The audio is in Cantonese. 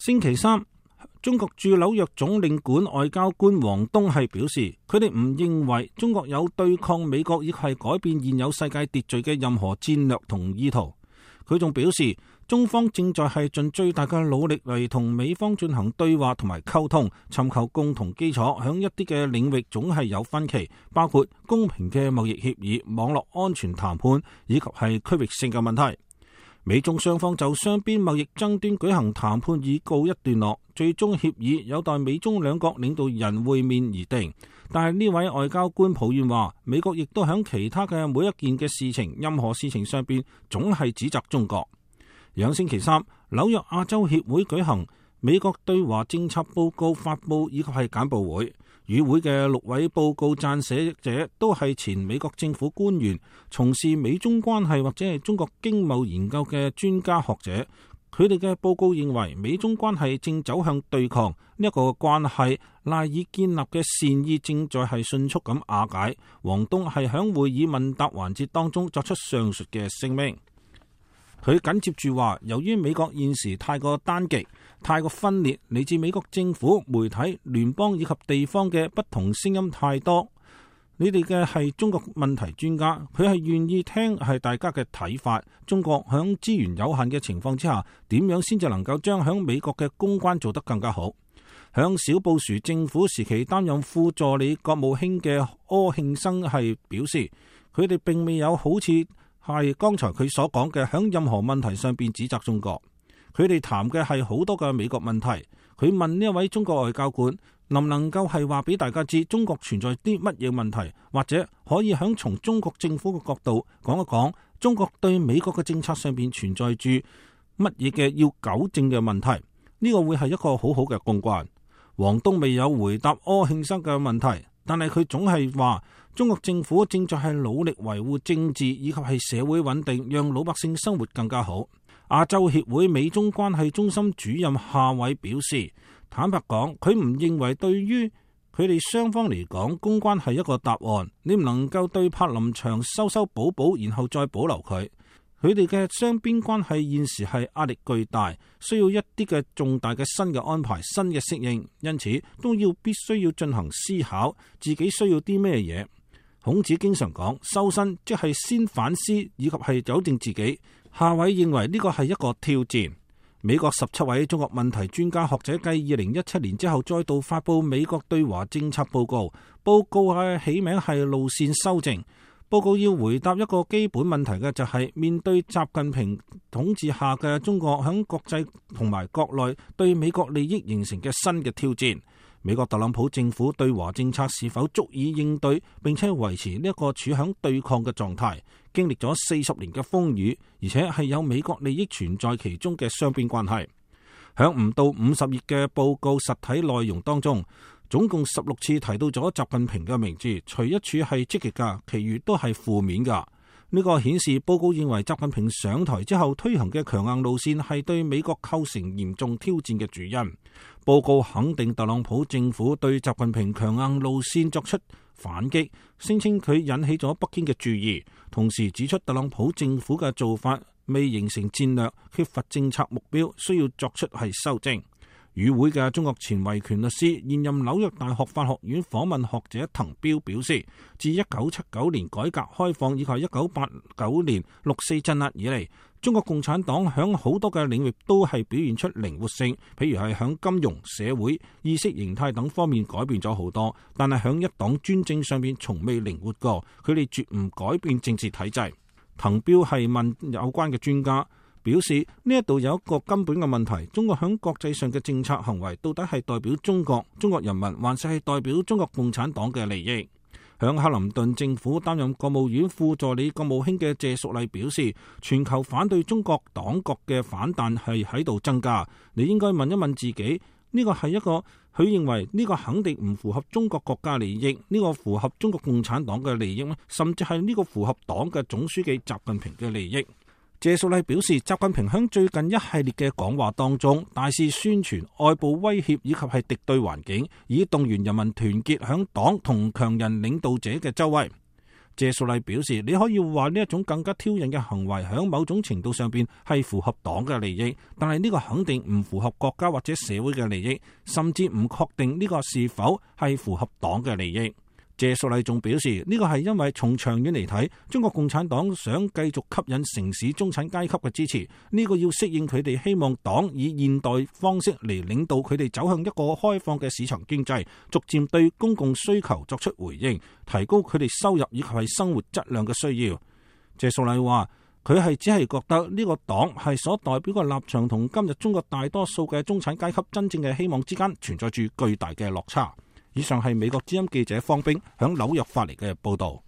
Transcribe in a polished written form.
星期三，中國駐紐約總領館外交官王東係表示，佢哋唔認為中國有對抗美國亦係改變現有世界秩序嘅任何戰略同意圖。佢仲表示，中方正在係盡最大嘅努力嚟同美方進行對話同埋溝通，尋求共同基礎。響一啲嘅領域總係有分歧，包括公平嘅貿易協議、網絡安全談判以及係區域性嘅問題。美中雙方就雙邊貿易爭端舉行談判已告一段落，最終協議有待美中兩國領導人會面而定。但係呢位外交官抱怨話，美國亦都響其他嘅每一件嘅事情、任何事情上邊總係指責中國。兩星期三，紐約亞洲協會舉行美國對華政策報告發佈以及係簡報會。與會嘅6位報告撰寫者都係前美國政府官員，從事美中關係或者係中國經貿研究嘅專家學者。佢哋嘅報告認為，美中關係正走向對抗，呢一個關係賴以建立嘅善意正在係迅速咁瓦解。王東係響會議問答環節當中作出上述嘅聲明。佢緊接住話，由於美國現時太過單極、太過分裂，嚟自美國政府、媒體、聯邦以及地方嘅不同聲音太多。你哋嘅係中國問題專家，佢係願意聽係大家嘅睇法。中國響資源有限嘅情況之下，點樣先至能夠將響美國嘅公關做得更加好？響小布殊政府時期擔任副助理國務卿嘅柯慶生係表示，佢哋並未有好似係剛才佢所講嘅響任何問題上邊指責中國。佢哋談嘅係好多嘅美國問題。佢問呢一位中國外交官，能唔能夠係話俾大家知中國存在啲乜嘢問題，或者可以響從中國政府嘅角度講一講中國對美國嘅政策上邊存在住乜嘢嘅要糾正嘅問題。呢個會係一個好好嘅公關。王東未有回答柯慶生嘅問題，但係佢總係話中國政府正在係努力維護政治以及係社會穩定，讓老百姓生活更加好。亞洲協會美中關係中心主任夏偉表示，坦白講，佢唔認為對於佢哋雙方嚟講，公關係一個答案。你唔能夠對柏林牆修修補補，然後再保留佢。佢哋嘅雙邊關係現時係壓力巨大，需要一啲嘅重大嘅新嘅安排、新嘅適應，因此都必須要進行思考，自己需要啲咩嘢。孔子經常講，修身即係先反思以及係糾正自己。夏偉認為呢個係一個挑戰。美國17位中國問題專家學者繼2017年之後再度發佈美國對華政策報告，報告係起名係路線修正。報告要回答一個基本問題嘅就係面對習近平統治下嘅中國響國際同埋國內對美國利益形成嘅新嘅挑戰，美國特朗普政府對華政策是否足以應對並且維持呢一個處響對抗嘅狀態？經歷咗40年嘅風雨，而且係有美國利益存在其中嘅雙邊關係。響唔到50頁嘅報告實體內容當中，總共16次提到咗習近平嘅名字，除一處係積極噶，其餘都係負面噶。呢個顯示報告認為習近平上台之後推行嘅強硬路線係對美國構成嚴重挑戰嘅主因。報告肯定特朗普政府對習近平強硬路線作出反擊，聲稱佢引起咗北京嘅注意，同時指出特朗普政府嘅做法未形成戰略，缺乏政策目標，需要作出係修正。與會嘅中國前維權律師、現任紐約大學法學院訪問學者滕彪表示，自1979年改革開放以及1989年6.4鎮壓以嚟，中國共產黨響好多嘅領域都係表現出靈活性，譬如係響金融、社會、意識形態等方面改變咗好多，但係響一黨專政上面從未靈活過，佢哋絕唔改變政治體制。滕彪係問有關嘅專家，表示呢一度有一個根本嘅問題，中國響國際上嘅政策行為到底係代表中國人民，還是係代表中國共產黨嘅利益？響克林頓政府擔任國務院副助理國務卿嘅謝淑麗表示，全球反對中國黨國嘅反彈係喺度增加。你應該問一問自己，呢個係一個佢認為呢個肯定唔符合中國國家利益，呢個符合中國共產黨嘅利益咩？甚至係呢個符合黨嘅總書記習近平嘅利益？謝淑麗表示，習近平響最近一系列嘅講話當中，大肆宣傳外部威脅以及係敵對環境，以動員人民團結響黨同強人領導者嘅周圍。謝淑麗表示，你可以話呢一種更加挑釁嘅行為喺某種程度上邊係符合黨嘅利益，但係呢個肯定唔符合國家或者社會嘅利益，甚至唔確定呢個是否係符合黨嘅利益。謝淑麗仲表示，呢個係因為從長遠嚟睇，中國共產黨想繼續吸引城市中產階級嘅支持，呢個要適應佢哋希望黨以現代方式嚟領導佢哋走向一個開放嘅市場經濟，逐漸對公共需求作出回應，提高佢哋收入以及係生活質量嘅需要。謝淑麗話，佢係只係覺得呢個黨係所代表嘅立場同今日中國大多數嘅中產階級真正嘅希望之間存在住巨大嘅落差。以上係美國之音記者方冰響紐約發嚟嘅報道。